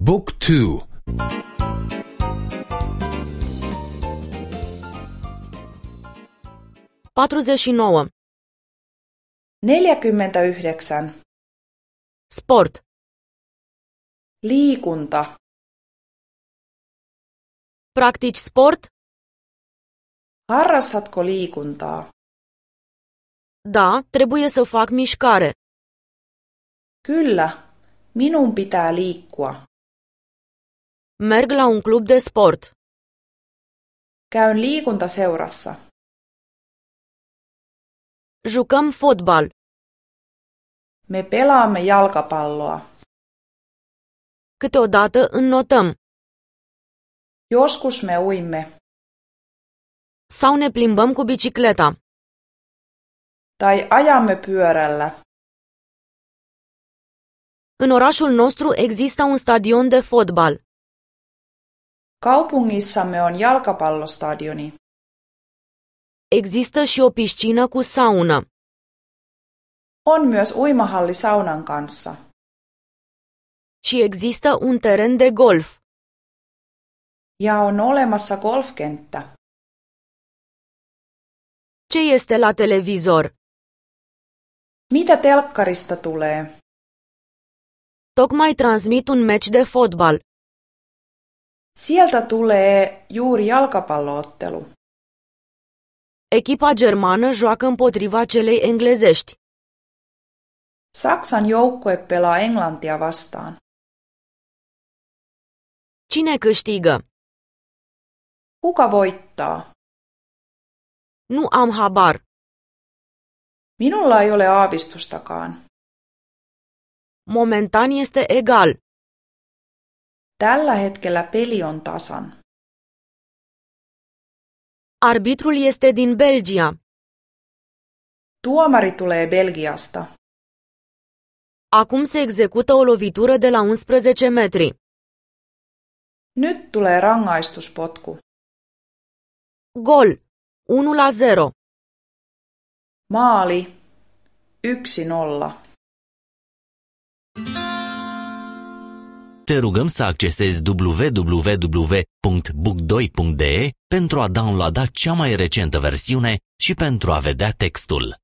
Book 2. 49. 49. Sport. Liikunta. Practici sport? Harrastatko liikuntaa? Da, trebuie să fac mișcare. Kyllä, minun pitää liikkua. Merg la un club de sport. Käyn liikuntaseurassa. Jucăm fotbal. Me pelaamme jalkapalloa. Câteodată înnotăm. Joskus me uimme. Sau ne plimbăm cu bicicleta. Tai ajamme pyörällä. În orașul nostru există un stadion de fotbal. Kaupungissamme on jalkapallostadioni. Există și o piscină cu saună. On myös uimahalli saunan kanssa. Și există un teren de golf. Ja on olemassa golfkenttä. Ce este la televizor? Mitä telkkarista tulee? Tocmai transmit un meci de fotbal. Sieltä tulee juuri jalkapalloottelu. Echipa germană joacă împotriva celei englezești. Saksan joukkue pelaa Englantia vastaan. Cine câștigă? Kuka voittaa? Nu am habar. Minulla ei ole aavistustakaan. Momentan este egal. Tällä hetkellä peli on tasan. Arbitrul este din Belgia. Tuomari tulee Belgiasta. Acum se execută o lovitură de la 11 metri. Nyt tulee rangaistuspotku. Gol. 1-0. Maali 1-0. Te rugăm să accesezi www.book2.de pentru a downloada cea mai recentă versiune și pentru a vedea textul.